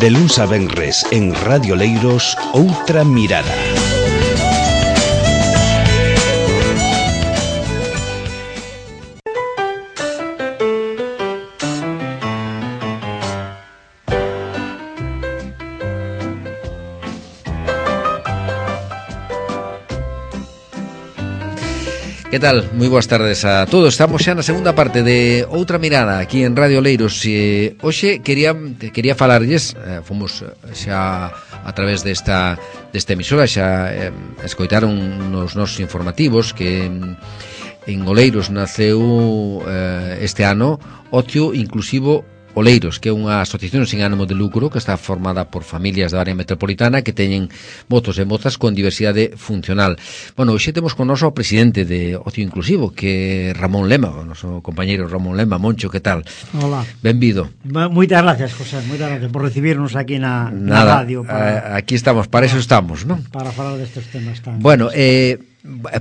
De luns a venres en Radio Leiros, Outra Mirada. Que tal? Moi boas tardes a todos. Estamos xa na segunda parte de Outra Mirada aquí en Radio Leiros. Hoxe quería falarlles, fomos xa a través desta emisora, xa escoitaron nos nosos informativos que en Oleiros naceu este ano Ocio Inclusivo Oleiros, que é unha asociación sin ánimo de lucro que está formada por familias da área metropolitana que teñen mozos e mozas con diversidade funcional. Bueno, hoxe temos con noso o presidente de Ocio Inclusivo, que é Ramón Lema, o noso compañeiro Ramón Lema. Moncho, que tal? Hola. Benvido. Moitas gracias, José, moitas gracias por recibirnos aquí na radio. Aquí estamos, para eso estamos, non? Para falar destes temas tan... Bueno,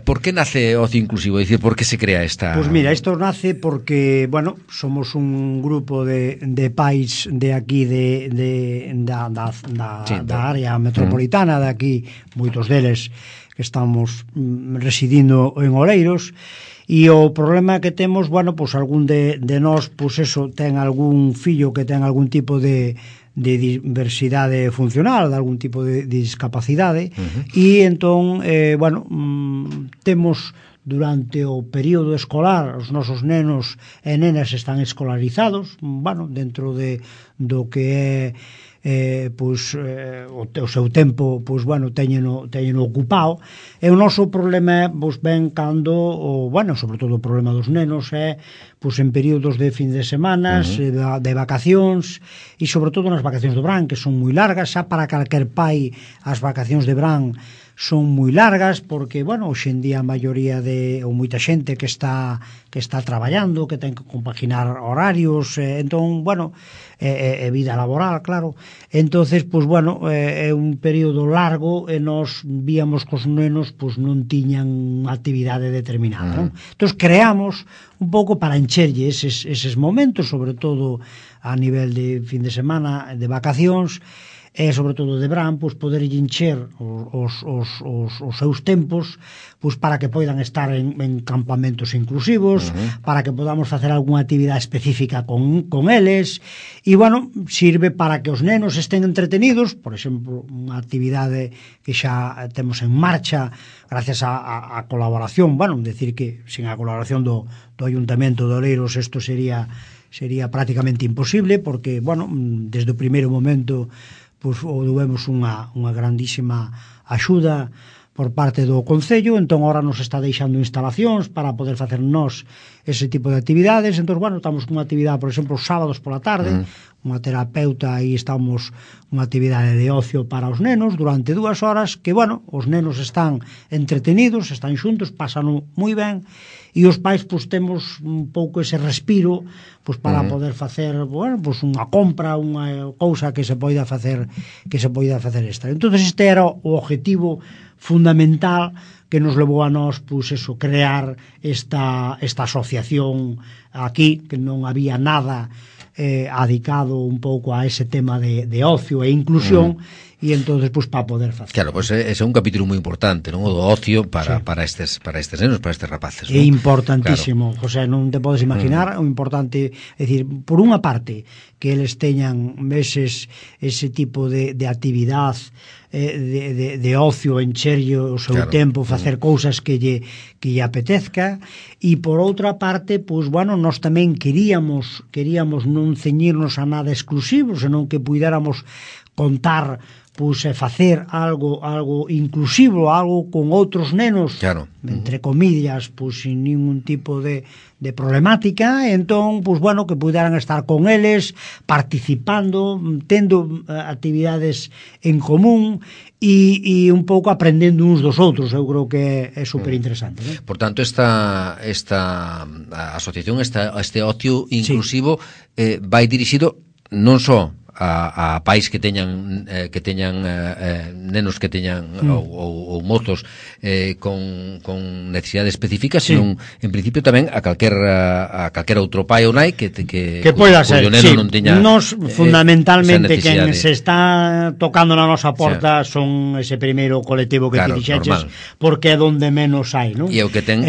¿por qué nace Ocio Inclusivo? Es decir, ¿por qué se crea esta...? Pues mira, isto nace porque, bueno, somos un grupo de pais de aquí da área metropolitana, de aquí, moitos deles que estamos residindo en Oleiros, e o problema que temos, bueno, pues algún de nós, pues eso, ten algún fillo que ten algún tipo de diversidade funcional, de algún tipo de discapacidade, e entón, bueno, temos durante o período escolar, os nosos nenos e nenas están escolarizados, bueno, dentro do que é o seu tempo, pois, bueno, teñeno ocupado, e o noso problema, pois, ven cando, bueno, sobre todo o problema dos nenos é, pois, en períodos de fin de semanas, de vacacións, e sobre todo nas vacacións do verán, que son moi largas. Xa para calquer pai as vacacións de verán son moi largas, porque, bueno, hoxe en día a maioría ou moita xente que está traballando, que ten que compaginar horarios, entón, bueno, é vida laboral, claro. Entonces, pois, bueno, é un período largo e nós víamos que os nenos, pois, non tiñan unha actividade determinada, non? Entón, creamos un pouco para encherlle eses momentos, sobre todo a nivel de fin de semana, de vacacións, e sobre todo de verán, pois, poder encher os seus tempos, pois, para que poidan estar en campamentos inclusivos, para que podamos facer algunha actividade específica con eles, e, bueno, sirve para que os nenos estén entretenidos. Por exemplo, unha actividade que xa temos en marcha gracias a colaboración, bueno, decir que sin a colaboración do Ayuntamento de Oleiros isto sería prácticamente imposible, porque, bueno, desde o primeiro momento, pois, obtivemos unha grandísima axuda por parte do Concello. Entón, agora nos está deixando instalacións para poder facer nós ese tipo de actividades. Entón, bueno, estamos con unha actividade, por exemplo, os sábados pola tarde, unha terapeuta, aí estamos unha actividade de ocio para os nenos durante 2 horas, que, bueno, os nenos están entretenidos, están xuntos, pasan moi ben, e os pais, pois, temos un pouco ese respiro, pois, para poder facer, bueno, pois, unha compra, unha cousa que se poida facer extra. Entón, este era o objetivo fundamental que nos levou a nós, pois, eso, crear esta asociación aquí, que non había nada adicado un pouco a ese tema de ocio e inclusión, e entonces, pois, para poder facer. Claro, pois ese é un capítulo moi importante, non? O do ocio para estes nenos, para estes rapaces, non? É importantísimo, claro. José, non te podes imaginar o importante, é dicir, por unha parte, que eles teñan ese tipo de actividade de ocio, encherlle o seu tempo, facer cousas que lle apetezca, e por outra parte, pois, bueno, nós tamén queríamos non ceñirnos a nada exclusivo, senón que puidéramos contar, pois, facer algo inclusivo, algo con outros nenos, claro, entre comillas, pois, sin ningún tipo de problemática. Entón, pois, bueno, que puderan estar con eles, participando, tendo actividades en común e un pouco aprendendo uns dos outros. Eu creo que é super interesante, ¿no? Por tanto, esta asociación, este ocio inclusivo, vai dirixido non só a pais que teñan nenos que teñan ou mozos con necesidades específicas, senón en principio tamén a calquera outro pai ou nai que poida ser, neno non teña fundamentalmente quen se está tocando na nosa porta son ese primeiro colectivo que ti dixeches, porque é donde menos hai, non? E o que ten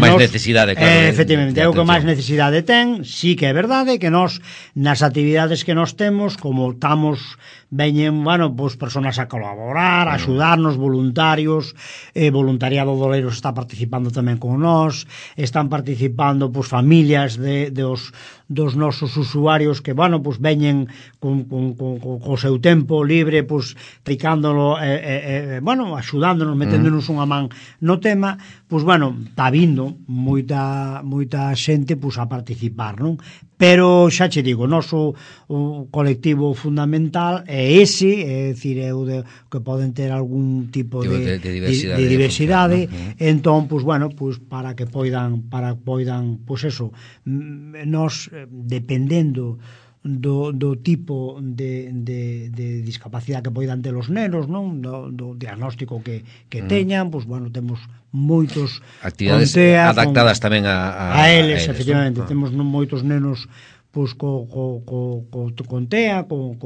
máis necesidade, claro. Efectivamente, é o que máis necesidade ten. Sí que é verdade que nós nas actividades que nós temos, como estamos veñen, pues personas a colaborar, a axudarnos, voluntarios, voluntariado do Oleiros está participando tamén con nós, están participando pues familias dos nosos usuarios que, pues veñen co seu tempo libre, pues tricándolo, axudándonos, meténdonos unha man no tema, pues está vindo moita xente pues a participar, non? Pero xa che digo, o noso colectivo fundamental é ese, é dicir, é o que poden ter algún tipo de diversidade, entón, pues para que poidan, pues eso, nos, dependendo do tipo de discapacidade que poidan ter os nenos, non? Do diagnóstico que teñan, pues temos moitos actividades TEA, adaptadas tamén a eles, efectivamente, temos moitos nenos pues con TEA, co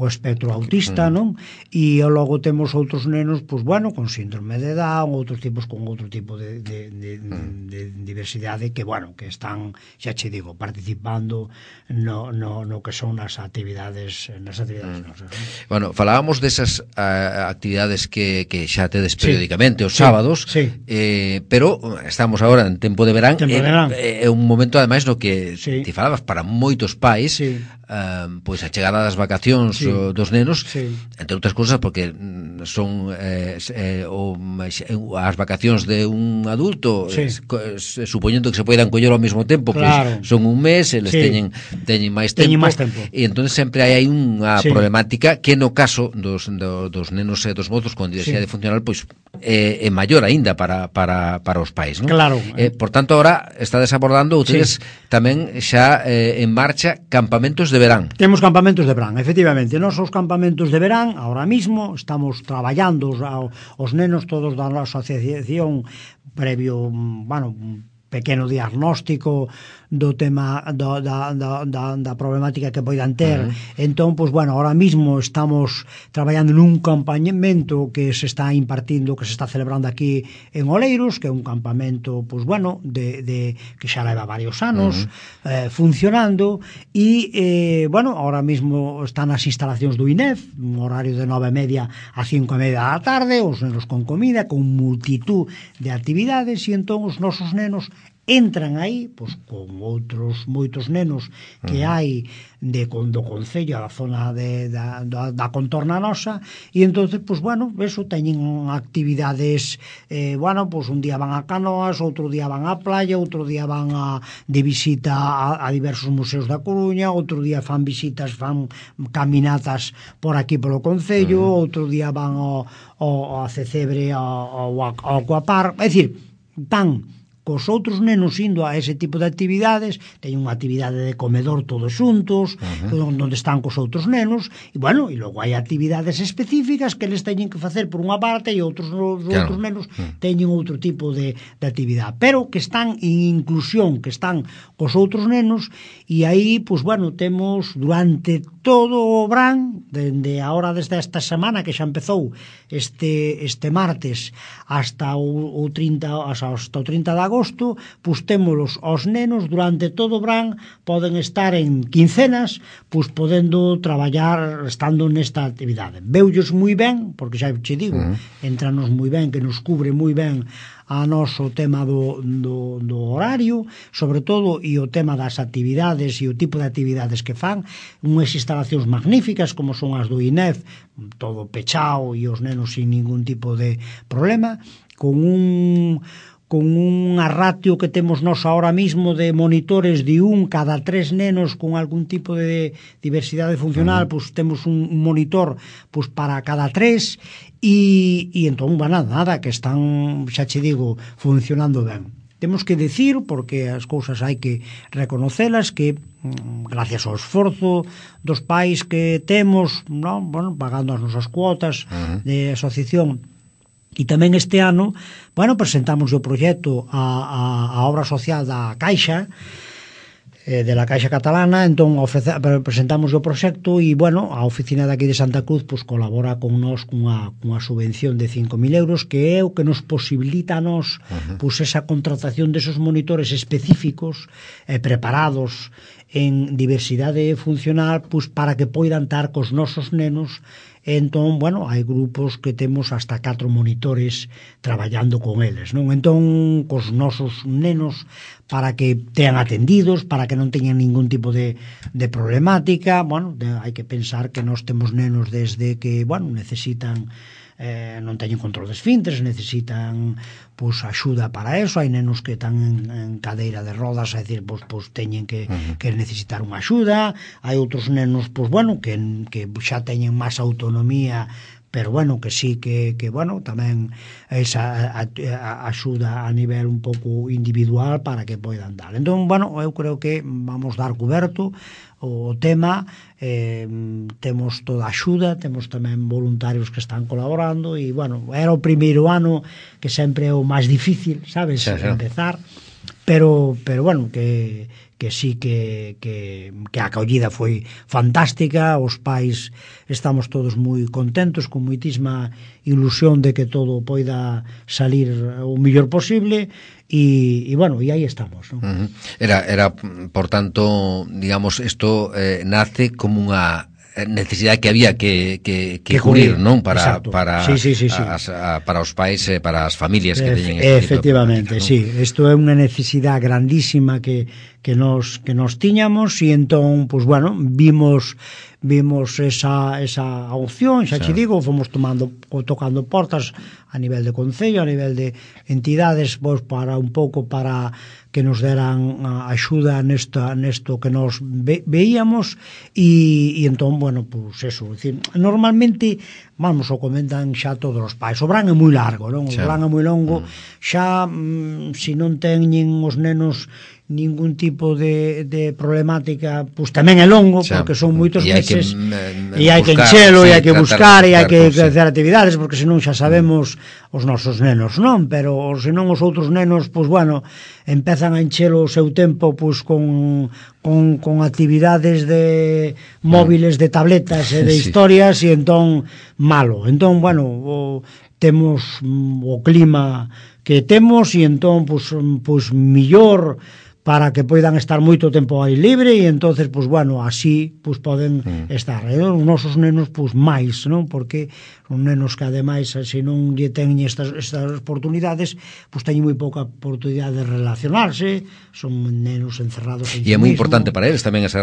espectro autista, non? E logo temos outros nenos, pues con síndrome de Down, outros tipos con outro tipo de diversidade que, que están, xa che digo, participando no que son as actividades nosas. Bueno, falábamos desas actividades que xa tedes periódicamente os sábados, pero estamos agora en tempo de verán, é un momento ademais no que te falabas para moitos pais, pois a chegada das vacacións dos nenos, entre outras cousas porque son as vacacións de un adulto, supoñendo que se poidan coller ao mesmo tempo, pois son un mes, eles teñen máis tempo, e entón sempre hai unha problemática que no caso dos nenos e dos mozos con diversidade funcional pois é maior aínda para os pais, non? Claro. Por tanto, agora estades abordando ustedes tamén xa en marcha campamentos de verán. Temos campamentos de verán, efectivamente. Nos os campamentos de verán, ahora mismo, estamos traballando os nenos todos da nosa asociación previo, pequeno diagnóstico do tema da problemática que poidan ter. Entón, ahora mismo estamos traballando nun campamento que se está impartindo, que se está celebrando aquí en Oleiros, que é un campamento, que xa leva varios anos funcionando, e, ahora mismo están as instalacións do INEF, un horario de 9:30 a 5:30 da tarde, os nenos con comida, con multitud de actividades, e entón os nosos nenos entran aí, con outros moitos nenos que hai do Concello, da zona da contorna nosa, e entonces, eso, teñen actividades, un día van a Canoas, outro día van á playa, outro día van de visita a diversos museos da Coruña, outro día fan visitas, fan caminatas por aquí polo Concello, outro día van ao Cecebre, ao Aquapar, é dicir, van cos outros nenos indo a ese tipo de actividades, teñen unha actividade de comedor todos xuntos, onde están cos outros nenos, e logo hai actividades específicas que eles teñen que facer por unha parte e outros nenos teñen outro tipo de actividade, pero que están en inclusión, que están cos outros nenos, e aí, temos durante todo o verán, desde esta semana que xa empezou este martes hasta o 30 de agosto, témolos os nenos durante todo o verán, poden estar en quincenas, podendo traballar estando nesta actividade. Veullos moi ben, porque xa che digo, entranos moi ben, que nos cubre moi ben a noso tema do horario, sobre todo, e o tema das actividades e o tipo de actividades que fan, unhas instalacións magníficas como son as do INEF, todo pechao e os nenos sin ningún tipo de problema, con unha ratio que temos nós ahora mismo de monitores de cada 3 nenos con algún tipo de diversidade funcional, temos un monitor para cada 3, e entón, nada, que están, xa che digo, funcionando ben. temos que decir, porque as cousas hai que reconocelas, que gracias ao esforzo dos pais que temos, non? Bueno, pagando as nosas cuotas de asociación, e tamén este ano, bueno, presentamos o proxecto a obra social da Caixa, de la Caixa Catalana, entón presentamos o proxecto e, bueno, a oficina daqui de Santa Cruz pues colabora con nós cunha subvención de 5.000 euros, que é o que nos posibilita a nós pues esa contratación desos monitores específicos preparados en diversidade funcional pues para que poidan estar cos nosos nenos. Entón, bueno, hai grupos que temos hasta 4 monitores traballando con eles, non? Entón, cos nosos nenos, para que tean atendidos, para que non teñan ningún tipo de problemática, bueno, hai que pensar que nós temos nenos desde que, bueno, necesitan non teñen control de esfínteres, necesitan pues axuda para eso, hai nenos que están en cadeira de rodas, é dicir, pues teñen que necesitar unha axuda, hai outros nenos pues bueno, que xa teñen máis autonomía, pero bueno, que sí que bueno, tamén esa axuda a nivel un pouco individual para que poidan dar. Entón, bueno, eu creo que vamos dar coberto o tema, temos toda a axuda, temos tamén voluntarios que están colaborando e, bueno, era o primeiro ano que sempre é o máis difícil, sabes, empezar, pero bueno, que sí que a acollida foi fantástica, os pais estamos todos moi contentos, con moitísima ilusión de que todo poida salir o mellor posible e bueno, e aí estamos, ¿no? Era, por tanto, digamos, isto nace como unha necesidade que había que cubrir, non? Para os pais, para as familias que teñen este efectivamente, tipo de práctica, ¿no? Sí, isto é unha necesidade grandísima que nos tiñamos e entón, pues bueno, vimos esa opción, xa che digo, fomos tocando portas a nivel de concello, a nivel de entidades, pues para un pouco para que nos deran axuda nesto que nos veíamos e entón, bueno, pues eso, decir, normalmente, vamos, o comentan xa todos os pais, o verán é moi largo, non? O verán é moi longo, xa se non teñen os nenos ningún tipo de problemática, pues tamén é longo, porque son moitos meses e hai que enchelo, e hai que buscar, e hai que hacer actividades, porque senón xa sabemos os nosos nenos, non? Pero senón os outros nenos, pues bueno, empezan a enchelo o seu tempo pues con actividades de móviles, de tabletas e de historias, e entón malo. Entón, bueno, temos o clima que temos e entón pues millor para que poidan estar moito tempo aí libre e entonces, pues bueno, así pues poden estar. Os nosos nenos, pues máis, non? Porque son nenos que ademais, se non lle teñen estas oportunidades, pues teñen moi pouca oportunidade de relacionarse, son nenos encerrados en si mismo. E é moi importante para eles tamén esa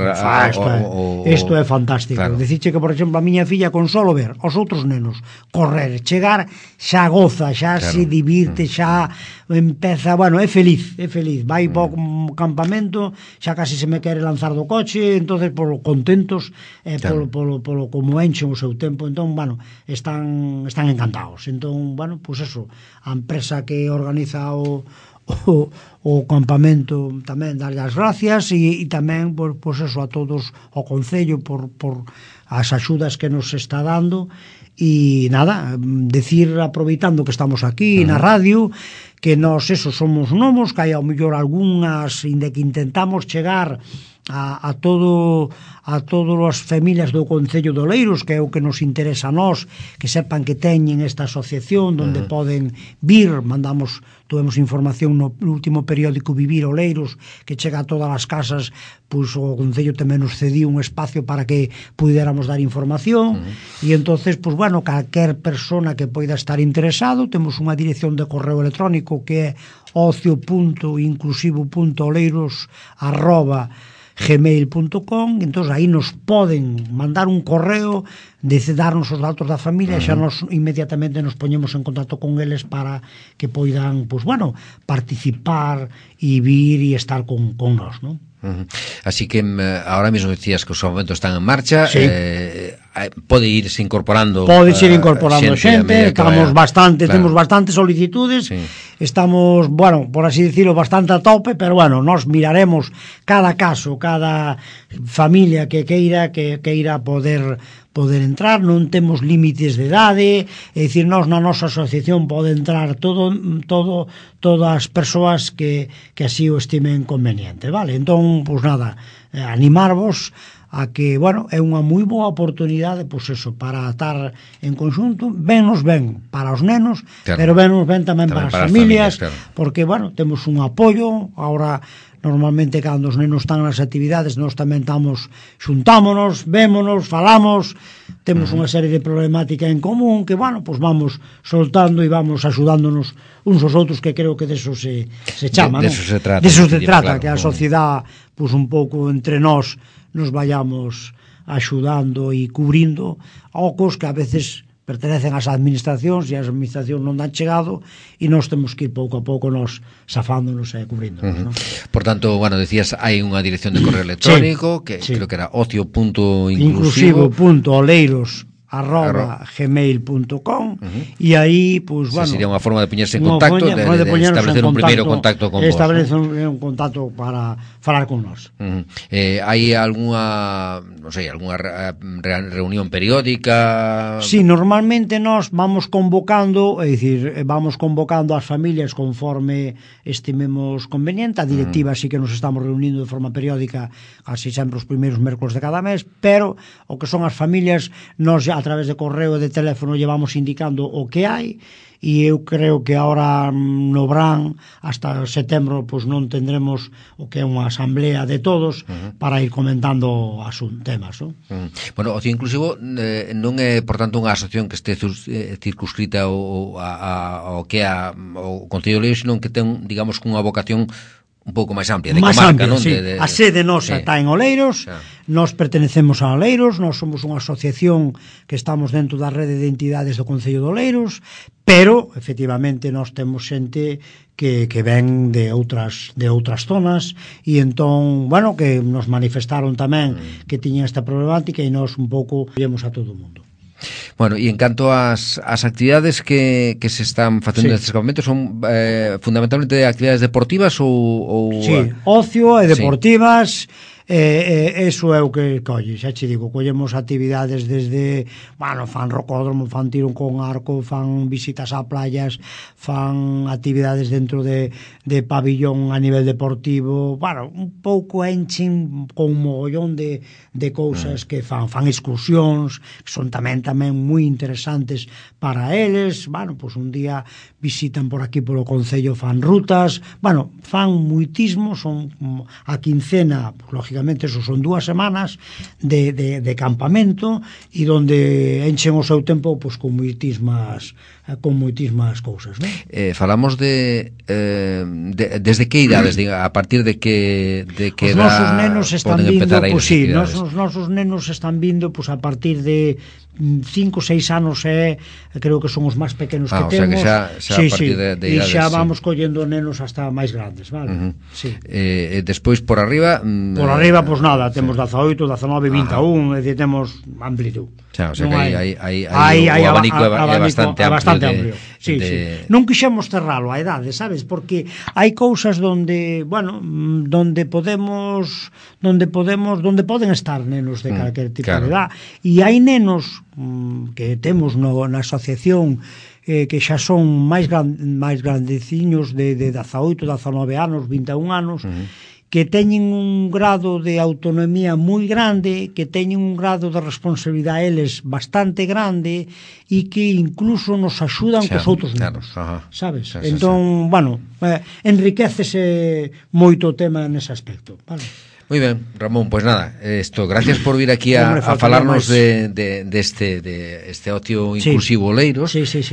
isto é fantástico. Claro. Diciche que, por exemplo, a miña filla con solo ver os outros nenos correr, chegar, xa goza, xa se divirte, xa empeza, bueno, é feliz, vai para o campamento, xa casi se me quere lanzar do coche, entonces polo contentos, polo como enchen o seu tempo, entón, bueno, están encantados. Entón, bueno, pues eso, a empresa que organiza o campamento tamén darlle as gracias e tamén, pues eso, a todos o concello por as axudas que nos está dando. E nada, decir, aproveitando que estamos aquí na radio, que nós eso somos novos, que hai ao mellor algunhas, inda que intentamos chegar a todas as familias do Concello de Oleiros, que é o que nos interesa a nós, que sepan que teñen esta asociación onde poden vir, tuvemos información no último periódico Vivir Oleiros, que chega a todas as casas, pois o Concello tamén nos cediu un espacio para que puidéramos dar información, e entonces, pois bueno, calquer persona que poida estar interesado, temos unha dirección de correo electrónico que é ocio.inclusivo.oleiros@gmail.com, entón aí nos poden mandar un correo, darnos os datos da familia, xa nos inmediatamente nos poñemos en contacto con eles para que poidan, pues bueno, participar e vir e estar con nós, non? Así que ahora mismo decías que os momentos están en marcha, pode irse incorporando xente, estamos bastante, temos bastantes solicitudes, estamos, bueno, por así decirlo, bastante a tope, pero bueno, nos miraremos cada caso, cada familia que queira poder entrar, non temos límites de idade, é dicir, nós na nosa asociación pode entrar todas as persoas que así o estimen conveniente, vale? Entón, pois nada, animarvos a que, bueno, é unha moi boa oportunidade, pois eso, para estar en conxunto, ben para os nenos, pero ben tamén para as familias, porque, bueno, temos un apoio, agora normalmente cando os nenos están nas actividades nós tamén xuntámonos, vémonos, falamos, temos unha serie de problemática en común que, bueno, pues vamos soltando e vamos axudándonos uns aos outros, que creo que deso se chama, de eso se trata, claro, que a sociedade, pues un pouco entre nós nos vayamos axudando e cubrindo ocos que a veces pertenecen ás administracións e as administracións non dan chegado e nós temos que ir pouco a pouco nos safándonos e cubríndonos, ¿no? Por tanto, bueno, decías, hai unha dirección de correo electrónico que creo que era ocio.inclusivo.oleiros@gmail.com e aí, pues, bueno, sería unha forma de poñerse en contacto, de establecer un primeiro contacto con vos. Establecer un contacto para falar con nós. Hai algunha, non sei, algunha reunión periódica? Sí, normalmente nós vamos convocando, é dicir, vamos convocando as familias conforme estimemos conveniente. A directiva sí que nos estamos reunindo de forma periódica, casi sempre os primeiros mércoles de cada mes, pero o que son as familias, nós a través de correo e de teléfono llevamos indicando o que hai, e eu creo que ahora no verán hasta setembro pois non tendremos o que é unha asamblea de todos para ir comentando temas, non? Bueno, Ocio Inclusivo non é, por tanto, unha asociación que este circunscrita ao que é o Concello de Oleiros, senón que ten, digamos, unha vocación un pouco máis amplia, de comarca, non? Sí. A sede nosa está en Oleiros, nós pertenecemos a Oleiros, nós somos unha asociación que estamos dentro da rede de entidades do Concello de Oleiros, pero, efectivamente, nós temos xente que ven de outras zonas e entón, bueno, que nos manifestaron tamén que tiña esta problemática e nós un pouco vemos a todo o mundo. Bueno, e en canto ás actividades que se están facendo nestes campamentos, son fundamentalmente actividades deportivas ou sí, ocio e deportivas. Eso é o que colle, xa che digo, collemos actividades desde, bueno, fan rocódromo, fan tiro con arco, fan visitas a playas, fan actividades dentro de pabillón a nivel deportivo, bueno, un pouco enchen con un mogollón de cousas que fan excursións, que son tamén moi interesantes para eles, bueno, pois un día visitan por aquí polo Concello, fan rutas, bueno, fan muitismo, son a quincena, lógicamente, eso son 2 semanas de campamento e donde enchen o seu tempo pois, con moitísimas cousas, non? Falamos desde que idades, a partir de que os nosos nenos están vindo, pois sí, os nosos nenos están vindo pois a partir de 5 ou 6 anos, creo que son os máis pequenos que temos. O sea que xa a partir de idades, e xa vamos collendo nenos hasta máis grandes, vale? Sí. Despois por arriba, pois nada, temos 18, 19, 21, é dicir, temos amplitud. O sea que hai o abanico é bastante amplio. Sí. Non quixemos cerralo a edade, sabes? Porque hai cousas donde, bueno, donde poden estar nenos de calquer tipo de edad, e hai nenos que temos na asociación que xa son máis grandeciños de 18, 19 anos, 21 anos, que teñen un grado de autonomía moi grande, que teñen un grado de responsabilidade eles bastante grande e que incluso nos axudan cos outros nenos, sabes? Entón, bueno, enriquecese moito o tema nese aspecto, vale? Moi ben, Ramón, pois nada, gracias por vir aquí a falarnos de este ocio inclusivo Oleiros. Sí.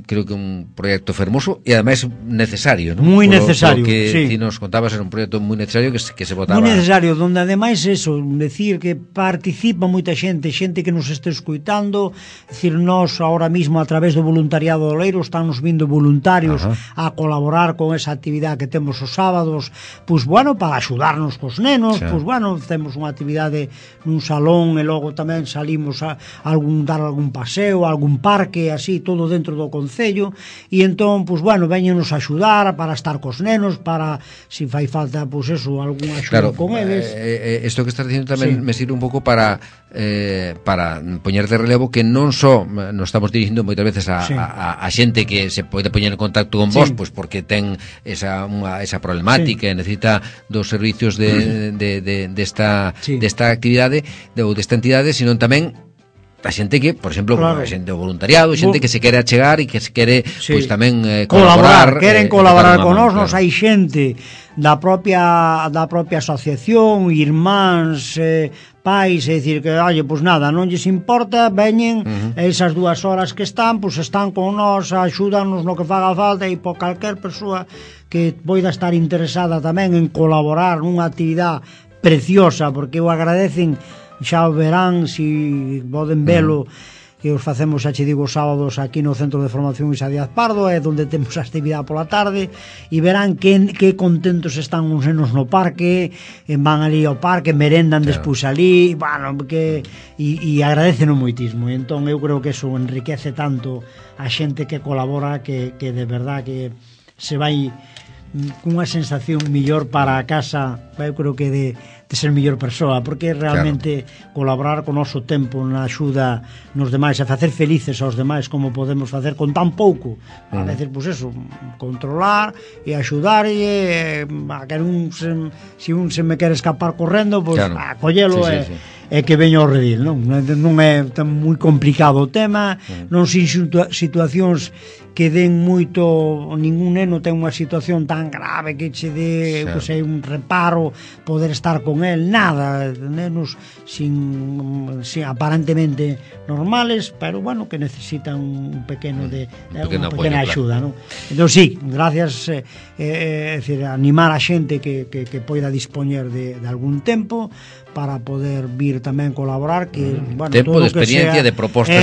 Creo que un proxecto fermoso e ademais necesario, non? Moi necesario, que ti nos contabas, era un proxecto moi necesario que se botaba. Moi necesario, donde ademais eso, decir que participa moita xente que nos este escuitando, decir, nós ahora mismo a través do voluntariado de Oleiros están nos vindo voluntarios a colaborar con esa actividade que temos os sábados, pois bueno, para axudarnos cos nenos, pois bueno, temos unha actividade nun salón e logo tamén salimos a dar algún paseo, algún parque, así, todo dentro do concello, e entón, pois bueno, veñenos a axudar para estar cos nenos, para, se fai falta, pois eso, algún axuda con eles. Isto que estás dicindo tamén me sirve un pouco para poñer de relevo que non só nos estamos dirigindo moitas veces a xente que se pode poñer en contacto con vos, pois porque ten esa problemática e necesita dos servicios desta actividade ou desta entidade, sino tamén a xente que, por exemplo, a xente do voluntariado, xente que se quere achegar e que se quere pois tamén colaborar, queren colaborar con nós, hai xente da propia asociación, irmáns, pais, é dicir que, oye, pois nada, non lles importa, veñen, esas 2 horas que están, pois están con nós, axúdanos no que faga falta, e por calquer persoa que poida estar interesada tamén en colaborar nunha actividade preciosa, porque o agradecen, xa o verán, si poden velo, que os facemos, xa che digo, sábados aquí no Centro de Formación Isa Díaz Pardo, é onde temos a actividade pola tarde, e verán que contentos están uns nenos no parque, van ali ao parque, merendan despois ali, bueno, e agradecen moitísimo, e entón eu creo que eso enriquece tanto a xente que colabora, que de verdad que se vai cunha sensación millor para a casa, eu creo que de ser mellor persoa, porque realmente colaborar con o noso tempo na axuda nos demais, a facer felices aos demais como podemos facer con tan pouco, a veces, pois eso, controlar e axudar, e a que se un se me quere escapar correndo, pois a collelo e que veña ao redil, non é tan moi complicado o tema, non sin situacións que den moito, ningún neno ten unha situación tan grave que che dé pois, un reparo poder estar con el, nada, nenos sin aparentemente normales, pero bueno, que necesitan un pequeno unha pequena axuda, non? Entón sí, gracias, decir, animar a xente que poida dispoñer de algún tempo para poder vir tamén colaborar, que, bueno, tempo de experiencia, de propostas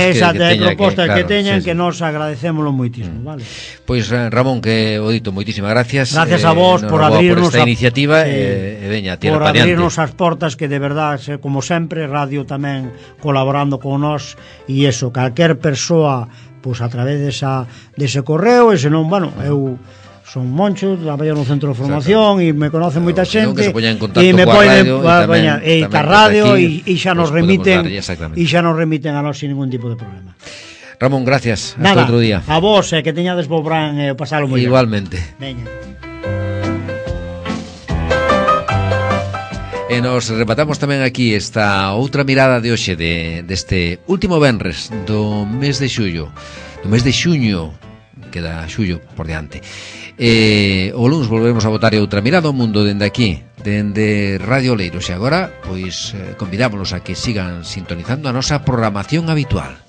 que teñan, que nos agradecémolo moitísimo, vale? Pois Ramón, que o dito, moitísimas gracias. Gracias a vos por abrirnos esta iniciativa, e veña, tira por pa diante. abrirnos as portas, que de verdad, como sempre, radio tamén colaborando con nós, e eso, calquer persoa, pois a través dese correo, e senón, bueno, eu son Moncho, traballo no Centro de Formación e me conoce moita xente e me poden e ca radio e xa nos remiten a nós sin ningún tipo de problema. Ramón, gracias, hasta outro día. A vos, que teñades bo Bran e pasalo moi ben. Igualmente. Veña. E nos rematamos tamén aquí esta outra mirada de hoxe deste último venres do mes de xullo, do mes de xuño, queda xullo por diante. O luns volvemos a botar outra mirada ao mundo dende aquí, dende Radio Leiros, e agora pois convidámonos a que sigan sintonizando a nosa programación habitual.